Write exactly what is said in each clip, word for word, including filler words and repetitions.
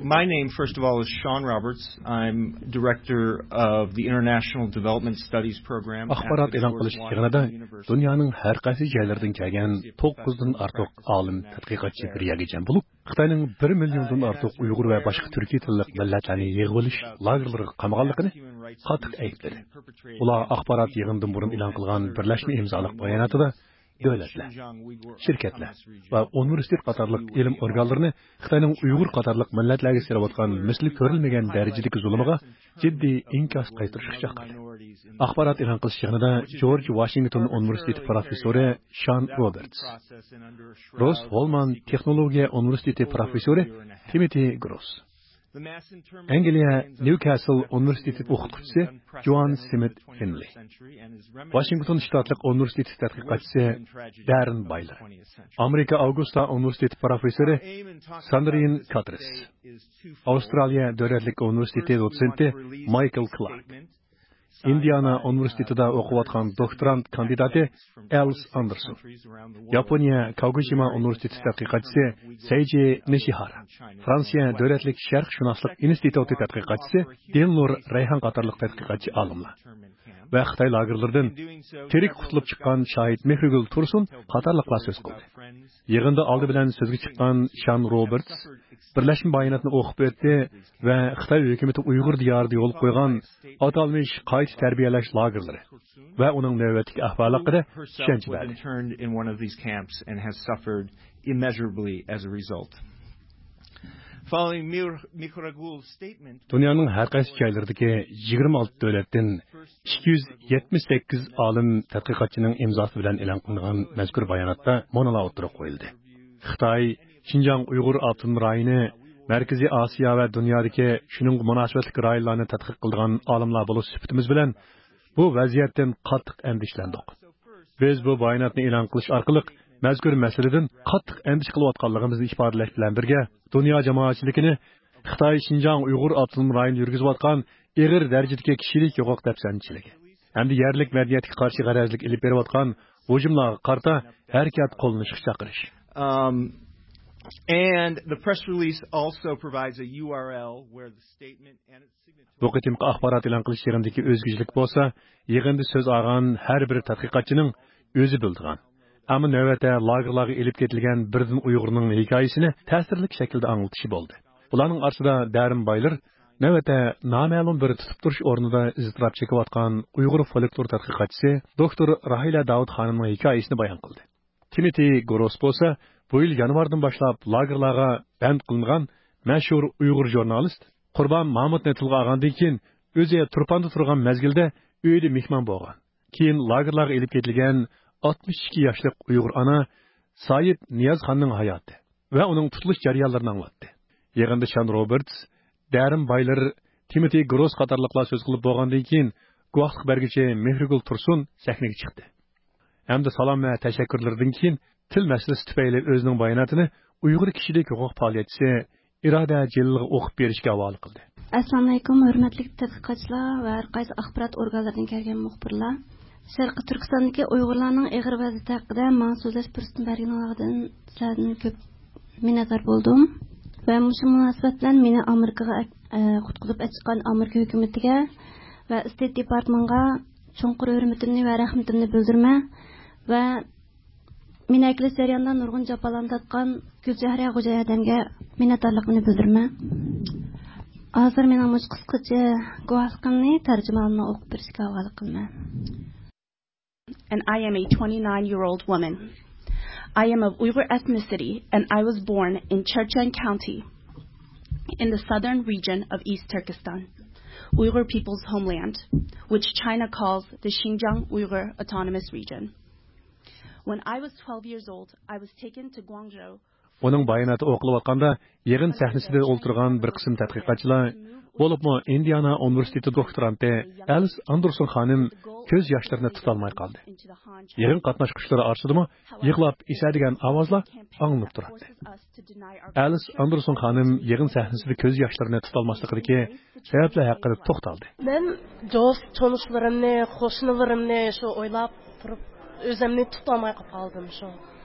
My name, first of all, is Sean Roberts. I'm director of the International Development Studies program at ئاخبارات ئېلان قىلىش يىغىنىدا دۇنيانىڭ ھەر قايسى جايلىرىدىن كەلگەن توققۇزدىن ئارتۇق ئالىم تەتقىقاتچى بىر يەرگە جەم بولۇپ، خىتاينىڭ بىر مىليوندىن ئارتۇق ئۇيغۇر ۋە باشقا تۈركىي تىللىق مىللەتلەرنى يىغىۋېلىش لاگېرلىرىغا قامىغانلىقىنى قاتتىق ئەيىبلىدى. ئۇلار ئاخبارات يىغىنىدىن بۇرۇن ئېلان قىلغان بىرلەشمە ئىمزالىق باياناتىدا دۆلەتلەر، شىركەتلەر ۋە ئۇنىۋېرسىتېت قاتارلىق ئىلىم ئورگانلىرىنى خىتاينىڭ ئۇيغۇر قاتارلىق مىللەتلەرگە سېلىۋاتقان مىسلى كۆرۈلمىگەن دەرىجىدىكى زۇلۇمىغا جىددىي ئىنكاس قايتۇرۇشقا چاقىردى. ئاخبارات ئېلان قىلىش يىغىنىدا جورج ۋاشىنگتون ئۇنىۋېرسىتېتى پروفېسسورى شان روبېرتس، روس ھولمان تېخنولوگىيە ئۇنىۋېرسىتېتى پروفېسسورى تىموتى گروس، ئەنگلىيە نيۇكاسل ئۇنىۋېرسىتېتى ئوقۇتقۇچىسى جوئان سمىت فىنلى، ۋاشىنگتون شتاتلىق ئۇنىۋېرسىتېتى تەتقىقاتچىسى دەررېن بايلېر، ئامېرىكا ئاۋگۇستا ئۇنىۋېرسىتېتى پروفېسسورى ساندرىن كاترېس، ئاۋسترالىيە دۆلەتلىك ئۇنىۋېرسىتېتى دوتسېنتى مايكل كلارك، ئىندىئانا ئۇنىۋېرسىتېتىدا ئوقۇۋاتقان دوكتورانت كاندىداتى ئەلىس ئاندېرسون، ياپونىيە كاگوشىما ئۇنىۋېرسىتېتى تەتقىقاتچىسى سەيجى نىشىھارا، فرانسىيە دۆلەتلىك شەرقشۇناسلىق ئىنستىتۇتى تەتقىقاتچىسى دىلنۇر رەيھان قاتارلىق تەتقىقاتچى ئالىملار ۋە خىتاي لاگېرلىرىدىن تىرىك قۇتۇلۇپ چىققان شاھىت مېھرىگۈل تۇرسۇن قاتارلىقلار سۆز قىلدى. يىغىندا ئالدى بىلەن سۆزگە چىققان شان روبېرتس بىرلەشمە باياناتنى ئوقۇپ ئۆتتى ۋە خىتاي ھۆكۈمىتى ئۇيغۇر دىيارىدا يولغا قويغان ئاتالمىش قايتا تەربىيەلەش لاگېرلىرى ۋە ئۇنىڭ نۆۋەتتىكى ئەھۋالى ھەققىدە چۈشەنچە بەردى. Interned in one of these camps and has suffered immeasurably as a result. Following Mir- Mihragul's statement, دۇنيانىڭ ھەر قايسى جايلىرىدىكى يىگىرمە ئالتە دۆلەتتىن ئىككى يۈز يەتمىش سەككىز ئالىم تەتقىقاتچىنىڭ ئىمزاسى بىلەن ئېلان قىلىنغان مەزكۇر باياناتتا مۇنۇلار ئوتتۇرىغا قويۇلدى. خىتاي شىنجاڭ ئۇيغۇر ئاپتونوم رايونى، مەركىزىي ئاسىيا ۋە دۇنيادىكى شۇنىڭغا مۇناسىۋەتلىك رايونلارنى تەتقىق قىلىدىغان ئالىملار بولۇش سۈپىتىمىز بىلەن بۇ ۋەزىيەتتىن قاتتىق ئەندىشىلەندۇق. بىز بۇ باياناتنى ئېلان قىلىش ئارقىلىق مەزكۇر مەسىلىدىن قاتتىق ئەندىشە قىلىۋاتقانلىقىمىزنى ئىپادىلەش بىلەن بىرگە، دۇنيا جامائەتچىلىكىنى خىتاي شىنجاڭ ئۇيغۇر ئاپتونوم رايونىدا يۈرگۈزۈۋاتقان ئېغىر دەرىجىدىكى كىشىلىك ھوقۇق دەپسەندىچىلىكى ھەمدە يەرلىك مەدەنىيەتكە قارشى غەرەزلىك ئېلىپ بېرىۋاتقان ھۇجۇملارغا قارىتا ھەرىكەت قوللىنىشقا چاقىرىش. Um, and the press release also provides a U R L where the statement and its signature بۇ قېتىمقى ئاخبارات ئېلان قىلىش يىغىنىدىكى ئۆزگىچىلىك بولسا، يىغىندا سۆز ئالغان ھەر بىر تەتقىقاتچىنىڭ ئۆزى بىلىدىغان، ئەمما نۆۋەتتە لاگېرلارغا ئېلىپ كېتىلگەن بىردىن ئۇيغۇرنىڭ ھېكايىسىنى تەسىرلىك شەكىلدە ئاڭلىتىشى بولدى. بۇلارنىڭ ئارىسىدا دەرىن بايلېر نۆۋەتتە نامەلۇم بىر تۇتۇپ تۇرۇش ئورنىدا ئىزتىراپ چېكىۋاتقان ئۇيغۇر فولكلور تەتقىقاتچىسى دوكتور راھىلە داۋۇت خانىمنىڭ ھېكايىسىنى بايان قىلدى. تىموتى گروس بولسا بۇ يىل يانۋاردىن باشلاپ لاگېرلارغا بەند قىلىنغان مەشھۇر ئۇيغۇر ژۇرنالىست قۇربان مامۇتنى تىلغا ئالغاندىن كېيىن، ئۆزى تۇرپاندا تۇرغان مەزگىلدە ئۆيىدە مېھمان بولغان. كېيىن لاگېرلارغا ئېلىپ كېتىلگەن ئاتمىش ئىككى ياشلىق ئۇيغۇر ئانا سايىپ نىيازخاننىڭ ھاياتى ۋە ئۇنىڭ تۇتۇلۇش جەريانلىرىنى ئاڭلاتتى. يىغىندا شان روبېرتس، دەرىن بايلېر، تىموتى گروس قاتارلىقلار سۆز قىلىپ بولغاندىن كېيىن، گۇۋاھلىق بەرگۈچى مېھرىگۈل تۇرسۇن سەھنىگە چىقتى ھەمدە سالام ۋە تەشەككۈرلىرىدىن كېيىن تىل مەسىلىسى تۈپەيلى ئۆزىنىڭ باياناتىنى ئۇيغۇر كىشىلىك ھوقۇق پائالىيەتچىسى ئىرادە جېلىلغا ئوقۇپ بېرىشكە ھاۋالە قىلدى. ئەسسالامۇئەلەيكۇم، ھۆرمەتلىك تەتقىقاتچىلار ۋە ھەر قايسى ئاخبارات ئورگانلىرىدىن كەلگەن مۇخبىرلار. شەرقىي تۈركىستاندىكى ئۇيغۇرلارنىڭ ئېغىر ۋەزىيىتى ھەققىدە ماڭا سۆزلەش پۇرسىتىنى بەرگىنىڭلاردىن سىلەردىن كۆپ مىننەتدار بولدۇم. ۋە مۇشۇ مۇناسىۋەت بىلەن مېنى ئامېرىكىغا ئەك-، ئە، قۇتقۇزۇپ ئەكەتكەن ئامېرىكا ھۆكۈمىتىگە ۋە ستېيت دېپارتمېنتىغا چوڭقۇر ھۆرمىتىمنى ۋە رەھمىتىمنى بىلدۈرىمەن. ۋە مېنى ئەكېلىش جەريانىدا نۇرغۇن جاپالارنى تارتقان گۈلچېھرە خوجا ھەدەمگە مىننەتدارلىقىمنى بىلدۈرىمەن. ھازىر مېنىڭ مۇشۇ قىسقىچە گۇۋاھلىقىمنى تەرجىمانىمنىڭ ئوقۇپ بېرىشىگە ھاۋالە قىلىمەن. And I am a twenty-nine-year-old woman. I am of Uyghur ethnicity, and I was born in Cherchen County, in the southern region of East Turkestan, Uyghur people's homeland, which China calls the Xinjiang Uyghur Autonomous Region. When I was twelve years old, I was taken to Guangzhou. ئۇنىڭ باياناتى ئوقۇلۇۋاتقاندا، يىغىن سەھنىسىدە ئولتۇرغان بىر قىسىم تەتقىقاتچىلار، بولۇپمۇ ئىندىئانا ئۇنىۋېرسىتېتى دوكتورانتى ئەلىس ئاندېرسون خانىم كۆز ياشلىرىنى تۇتالماي قالدى. يىغىن قاتناشقۇچىلىرى ئارىسىدىمۇ يىغلاپ ئېسەدىگەن ئاۋازلار ئاڭلىنىپ تۇراتتى. ئەلىس ئاندېرسون خانىم يىغىن سەھنىسىدە كۆز ياشلىرىنى تۇتالماسلىقىدىكى سەۋەبلەر ھەققىدە توختالدى. مەن دوست تونۇشلىرىمنى، قوشنىلىرىمنى شۇ ئويلاپ تۇرۇپ، ئۆزۈمنى تۇتالماي قالدىم شۇ.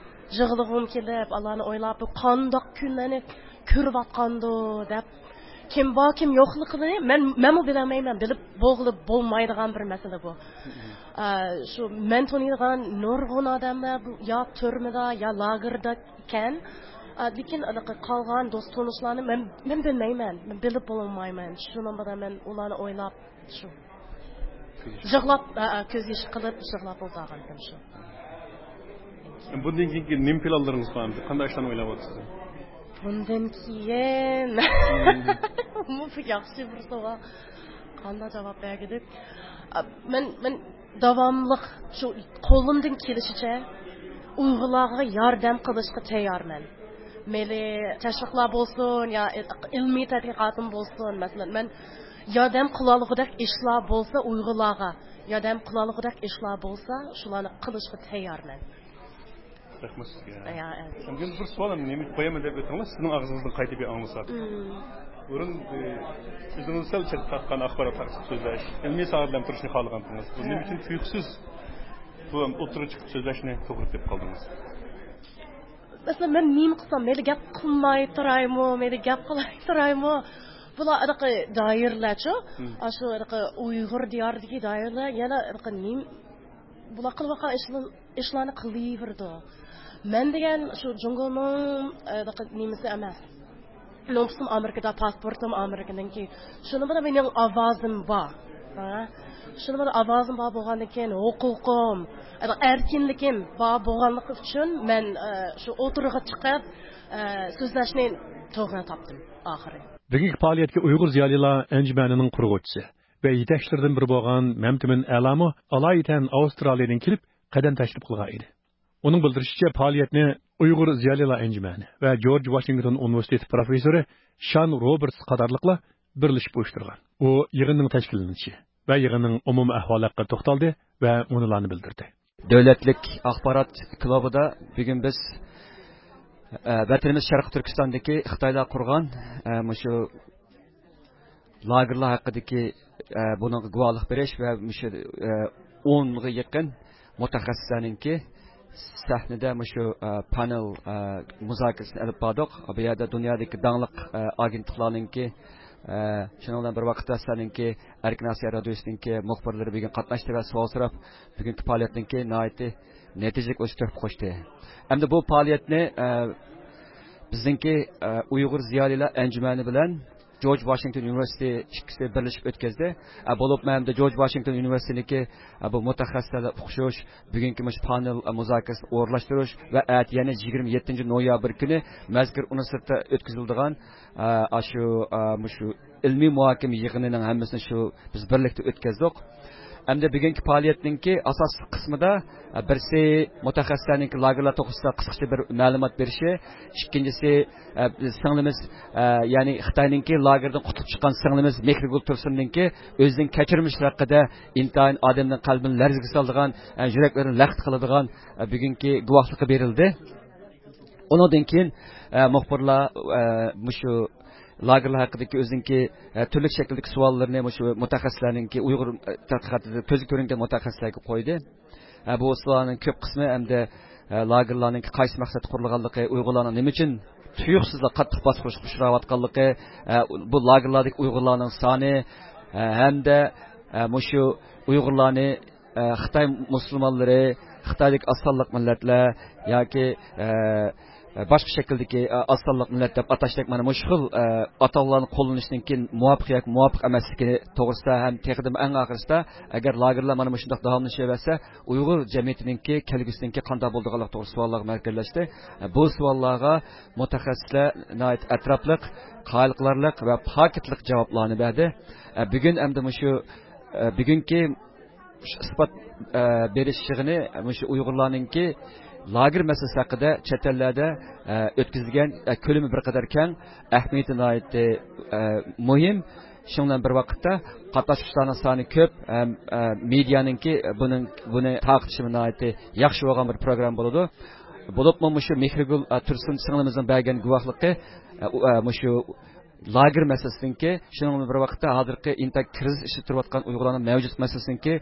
يىغلىغۇم كېلىپ، ئالارنى ئويلاپ، بۇ قانداق كۈنلەرنى كۆرۈۋاتقاندۇ دەپ، كىم بار، كىم يوقلۇقىنى مەن، مەنمۇ بىلەلمەيمەن. بىلىپ بولغىلى بولمايدىغان بىر مەسىلە بۇ. ئە، شۇ مەن تونۇيدىغان نۇرغۇن ئادەملەر بۇ يا تۈرمىدە، يا لاگېردا ئىكەن. ئە، لېكىن ئاناقى قالغان دوست تونۇشلارنى مەن، مەن بىلمەيمەن. مەن بىلىپ بولمايمەن. شۇنىڭ بىلەن مەن ئۇلارنى ئويلاپ، شۇ يىغلاپ، ئە، ئە، كۆز يېشى قىلىپ يىغلاپ ئولتۇرغانتىم شۇ. بۇندىن كېيىنكى نېمە پىلانلىرىڭىز بار؟ قانداق ئىشلارنى ئويلاۋاتىسىز؟ بۇندىن كېيىن. بۇ ياخشى بىر سوئال. قانداق جاۋاب بەرگۈدۈك؟ ئە، مەن، مەن داۋاملىق شۇ قولۇمدىن كېلىشىچە ئۇيغۇرلارغا ياردەم قىلىشقا تەييارمەن. مەيلى تەشۋىقلار بولسۇن يا ئىلمىي تەتقىقاتىم بولسۇن، مەسىلەن، مەن ياردەم قىلالىغۇدەك ئىشلار بولسا، ئۇيغۇرلارغا ياردەم قىلالىغۇدەك ئىشلار بولسا، شۇلارنى قىلىشقا تەييارمەن. رەھمەت سىزگە. يا، ئەزىز. ئەمدى بىر سوئال، نېمە قويىمەن دەپ ئۆتۈڭلار، سىزنىڭ ئاغزىڭىزدىن قايتا بىر ئاڭلىساق. مم. بۇرۇن، ئى، ئۆزىڭىز سەل چەتكە تارتقان ئاخبارات ھەققىدە سۆزلەش، ئىلمىي ساھەدە تۇرۇشنى خالىغانتىڭىز. بۇ نېمە ئۈچۈن تۇيۇقسىز بۇ ئوتتۇرىغا چىقىپ سۆزلەشنى توغرا دەپ قالدىڭىز؟ مەسىلەن، مەن نېمە قىلسام، مەيلى گەپ قىلماي تۇرايمۇ، مەيلى گەپ قىلاي تۇرايمۇ؟ بۇلار ھېلىقى دائىرىلەرچۇ، مم. ئاشۇ ھېلىقى ئۇيغۇر دىيارىدىكى دائىرىلەر يەنە ھېلىقى نېمە، بۇلار قىلىۋاتقان ئىشلار-، ئىشلارنى قىلىۋېرىدۇ. مەن دېگەن شۇ جۇڭگونىڭ، ئە، ھېلىقى نېمىسى ئەمەس. نوپۇسۇم ئامېرىكىدا، پاسپورتۇم ئامېرىكىنىڭكى. شۇنىڭ بىلەن مېنىڭ ئاۋازىم بار. ھە؟ شۇنىڭ بىلەن ئاۋازىم بار بولغاندىن كېيىن، ھوقۇقۇم، ئەركىنلىكىم بار بولغانلىقى ئۈچۈن مەن، ئە، شۇ ئوتتۇرىغا چىقىپ، ئە، سۆزلەشنى توغرا تاپتىم ئاخىرى. بۈگۈنكى پائالىيەتكە ئۇيغۇر زىيالىيلار ئەنجۈمەنىنىڭ قۇرغۇچىسى ۋە يېتەكچىلىرىدىن بىرى بولغان مەمتىمىن ئەلامۇ ئالايىتەن ئاۋسترالىيەدىن كېلىپ قەدەم تەشرىپ قىلغان ئىدى. ئۇنىڭ بىلدۈرۈشىچە، پائالىيەتنى ئۇيغۇر زىيالىيلار ئەنجۈمەنى ۋە جورج ۋاشىنگتون ئۇنىۋېرسىتېتى پروفېسسورى شان روبېرتس قاتارلىقلار بىرلىشىپ ئۇيۇشتۇرغان. ئۇ يىغىننىڭ تەشكىللىنىشى ۋە يىغىننىڭ ئومۇمىي ئەھۋالى ھەققىدە توختالدى ۋە مۇنۇلارنى بىلدۈردى. دۆلەتلىك ئاخبارات كۇلۇبىدا بۈگۈن بىز، ئە، ۋەتىنىمىز شەرقىي تۈركىستاندىكى خىتايلار قۇرغان، ئە، مۇشۇ لاگېرلار ھەققىدىكى، ئە، بۇنىڭغا گۇۋاھلىق بېرىش ۋە مۇشۇ، ئە، ئونغا يېقىن مۇتەخەسسىسلەرنىڭكى سەھنىدە مۇشۇ، ئە، پانېل، ئە، مۇزاكىرىسىنى ئېلىپ باردۇق. بۇ يەردە دۇنيادىكى داڭلىق، ئە، ئاگېنتلىقلارنىڭكى، ئە، شۇنىڭ بىلەن بىر ۋاقىتتا سىلەرنىڭكى ئەركىن ئاسىيا رادىيوسىنىڭكى مۇخبىرلىرى بۈگۈن قاتناشتى ۋە سوئال سوراپ، بۈگۈنكى پائالىيەتنىڭكى ناھايىتى نەتىجىلىك ئۆتۈپ قوشتى. ئەمدى بۇ پائالىيەتنى، ئە، بىزنىڭكى، ئە، ئۇيغۇر زىيالىيلار ئەنجۈمەنى بىلەن جورج ۋاشىنگتون ئۇنىۋېرسىتېتى ئىككىسى بىرلىشىپ ئۆتكۈزدى. ئە، بولۇپمۇ ھەمدە جورج ۋاشىنگتون ئۇنىۋېرسىتېتىنىڭكى، ئە، بۇ مۇتەخەسسىسلەر ئۇقۇشۇش، بۈگۈنكى مۇشۇ پانېل، ئە، مۇزاكىرىسىنى ئورۇنلاشتۇرۇش ۋە ئەتە يەنە يىگىرمە يەتتىنچى نويابىر كۈنى مەزكۇر ئۇنىۋېرسىتېتتا ئۆتكۈزۈلىدىغان، ئە، ئاشۇ، ئە، مۇشۇ ئىلمىي مۇھاكىمە يىغىنىنىڭ ھەممىسىنى شۇ بىز بىرلىكتە ئۆتكۈزدۇق. ئەمدى بۈگۈنكى پائالىيەتنىڭكى ئاساسلىق قىسمىدا، ئە، بىرسى مۇتەخەسسىسلەرنىڭكى لاگېرلار توغرىسىدا قىسقىچە بىر مەلۇمات بېرىشى، ئىككىنچىسى، ئە، سىڭلىمىز، ئە، يەنى خىتاينىڭكى لاگېردىن قۇتۇلۇپ چىققان سىڭلىمىز مېھرىگۈل تۇرسۇننىڭكى ئۆزىنىڭ كەچۈرمىشى ھەققىدە ئىنتايىن ئادەمنىڭ قەلبىنى لەرزىگە سالىدىغان، ئە، يۈرەكلىرىنى لەخت قىلىدىغان، ئە، بۈگۈنكى گۇۋاھلىقى بېرىلدى. ئۇنىڭدىن كېيىن، ئە، مۇخبىرلار، ئە، مۇشۇ لاگېرلار ھەققىدىكى ئۆزىنىڭكى، ئە، تۈرلۈك شەكىلدىكى سوئاللىرىنى مۇشۇ مۇتەخەسسىسلەرنىڭكى ئۇيغۇر، ئە، تەتقىقاتىدا كۆزگە كۆرۈنگەن مۇتەخەسسىسلەرگە قويدى. ئە، بۇ سوئالنىڭ كۆپ قىسمى ئەمدى، ئە، لاگېرلارنىڭكى قايسى مەقسەتتە قۇرۇلغانلىقى، ئۇيغۇرلارنىڭ نېمە ئۈچۈن تۇيۇقسىزلا قاتتىق باسقۇنغا ئۇچراۋاتقانلىقى، ئە، بۇ لاگېرلاردىكى ئۇيغۇرلارنىڭ سانى، ئە، ھەمدە، ئە، مۇشۇ ئۇيغۇرلارنى ئە، خىتاي مۇسۇلمانلىرى، خىتايدىكى ئاز سانلىق مىللەتلەر ياكى، ئە، باشقا شەكىلدىكى، ئە، ئاز سانلىق مىللەت دەپ ئاتاشتەك مانا مۇشۇ خىل، ئە، ئاتالغۇلارنى قوللىنىشنىڭكى مۇۋاپىق ياكى مۇۋاپىق ئەمەسلىكى توغرىسىدا ھەم تېخىدىمۇ ئەڭ ئاخىرسىدا ئەگەر لاگېرلار مانا مۇشۇنداق داۋاملىشىۋەرسە، ئۇيغۇر جەمئىيىتىنىڭكى كەلگۈسىنىڭكى قانداق بولىدىغانلىقى توغرىسىدا سوئاللارغا مەركەزلەشتى. ئە، بۇ سوئاللارغا مۇتەخەسسىسلەر ناھايىتى ئەتراپلىق، قايىل قىلارلىق ۋە پاكىتلىق جاۋابلارنى بەردى. ئە، بۈگۈن ئەمدى مۇشۇ، ئە، بۈگۈنكى شۇ ئىسپات، ئە، بېرىش يىغىنى مۇشۇ ئۇيغۇرلارنىڭكى لاگېر مەسىلىسى ھەققىدە چەت ئەللەردە، ئە، ئۆتكۈزۈلگەن، ئە، كۆلىمى بىر قەدەر كەڭ، ئەھمىيىتى ناھايىتى، ئە، مۇھىم. شۇنىڭ بىلەن بىر ۋاقىتتا قاتناشقۇچىلارنىڭ سانى كۆپ ھەم، ئە، مېدىيانىڭكى بۇنىڭ، بۇنى تارقىتىشىمۇ ناھايىتى ياخشى بولغان بىر پروگرامما بولىدۇ. بولۇپمۇ مۇشۇ مېھرىگۈل، ئە، تۇرسۇن سىڭلىمىزنىڭ بەرگەن گۇۋاھلىقى، ئە، ئۇ، ئە، مۇشۇ لاگېر مەسىلىسىنىڭكى، شۇنىڭ بىلەن بىر ۋاقىتتا ھازىرقى ئىنتايىن كىرىزىس ئىچىدە تۇرۇۋاتقان ئۇيغۇرلارنىڭ مەۋجۇت مەسىلىسىنىڭكى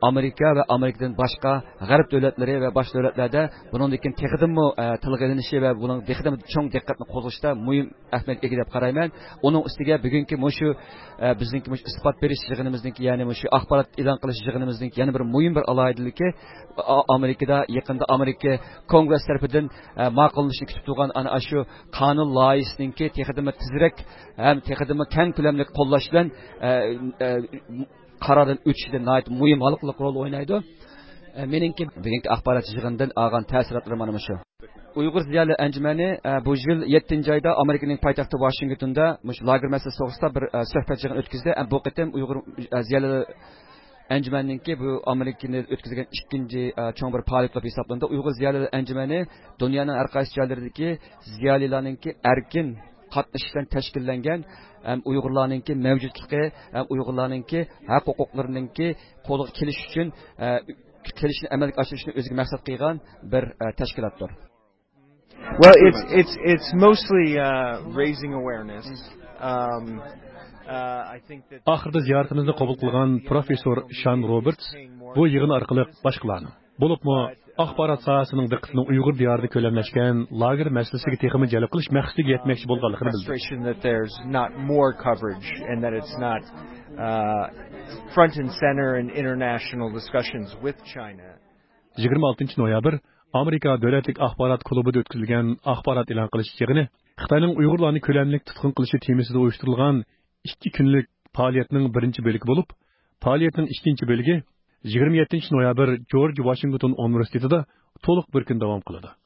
ئامېرىكا ۋە ئامېرىكىدىن باشقا غەرب دۆلەتلىرى ۋە باشقا دۆلەتلەردە بۇنىڭدىن كېيىن تېخىدىنمۇ، ئە، تىلغا ئېلىنىشى ۋە بۇنىڭ تېخىدىنمۇ چوڭ دىققەتنى قوزغىشىدا مۇھىم ئەھمىيەتكە ئىگە دەپ قارايمەن. ئۇنىڭ ئۈستىگە بۈگۈنكى مۇشۇ، ئە، بىزنىڭكى مۇشۇ ئىسپات بېرىش يىغىنىمىزنىڭكى، يەنى مۇشۇ ئاخبارات ئېلان قىلىش يىغىنىمىزنىڭكى يەنە بىر مۇھىم بىر ئالاھىدىلىكى، ئا-، ئامېرىكىدا يېقىندا ئامېرىكا كونگرېس تەرىپىدىن، ئە، ماقۇللىنىشنى كۈتۈپ تۇرغان ئانا شۇ قانۇن لايىھىسىنىڭكى تېخىدىنمۇ تېزرەك ھەم تېخىدىنمۇ كەڭ كۆلەملىك قوللاش بىلەن، ئە، ئە، قاراردىن ئۆتۈشىدە ناھايىتى مۇھىم ھالقىلىق رول ئوينايدۇ. ئە، مېنىڭكى بۈگۈنكى ئاخبارات يىغىنىدىن ئالغان تەسىراتلىرىم مانا مۇشۇ. ئۇيغۇر زىيالىي ئەنجۈمەنى، ئە، بۇ يىل يەتتىنچى ئايدا ئامېرىكىنىڭ پايتەختى ۋاشىنگتوندا مۇشۇ لاگېر مەسىلىسى توغرىسىدا بىر، ئە، سۆھبەت يىغىنى ئۆتكۈزدى. ئە، بۇ قېتىم ئۇيغۇر، ئە، زىيالىي ئەنجۈمەننىڭكى بۇ ئامېرىكىنى ئۆتكۈزگەن ئىككىنچى، ئە، چوڭ بىر پائالىيەت بولۇپ ھېسابلىنىدۇ. ئۇيغۇر زىيالىي ئەنجۈمەنى دۇنيانىڭ ھەر قايسى جايلىرىدىكى زىيالىيلارنىڭكى ئەركىن قاتنىشىش بىلەن تەشكىللەنگەن ھەم ئۇيغۇرلارنىڭكى مەۋجۇتلۇقى ھەم ئۇيغۇرلارنىڭكى ھەق ھوقۇقلىرىنىڭكى قولغا كېلىش ئۈچۈن، ئە، كېلىشنى ئەمەلگە ئاشۇرۇشنى ئۆزىگە مەقسەت قىلغان بىر، ئە، تەشكىلاتتۇر. Well, it's it's it's mostly uh, raising awareness. Um, uh, I think that ئاخىرىدا زىيارىتىمىزنى قوبۇل قىلغان پروفېسسور شان روبېرتس بۇ يىغىن ئارقىلىق باشقىلارنىڭ، بولۇپمۇ ئاخبارات ساھەسىنىڭ دىققىتىنى ئۇيغۇر دىيارىدا كۆلەملەشكەن لاگېر مەسىلىسىگە تېخىمۇ جەلپ قىلىش مەقسىتىگە يەتمەكچى بولغانلىقىنى بىلدۈردى. Frustration that there's not more coverage and that it's not uh, front and center in international discussions with China. يىگىرمە ئالتىنچى نويابىر ئامېرىكا دۆلەتلىك ئاخبارات كۇلۇبىدا ئۆتكۈزۈلگەن ئاخبارات ئېلان قىلىش يىغىنى خىتاينىڭ ئۇيغۇرلارنى كۆلەملىك تۇتقۇن قىلىشى تېمىسىدا ئۇيۇشتۇرۇلغان ئىككى كۈنلۈك پائالىيەتنىڭ بىرىنچى بۆلىكى بولۇپ، پائالىيەتنىڭ ئىككىنچى بۆلىكى يىگىرمە يەتتىنچى نويابىر جورج ۋاشىنگتون ئۇنىۋېرسىتېتىدا تولۇق بىر كۈن داۋام قىلىدۇ.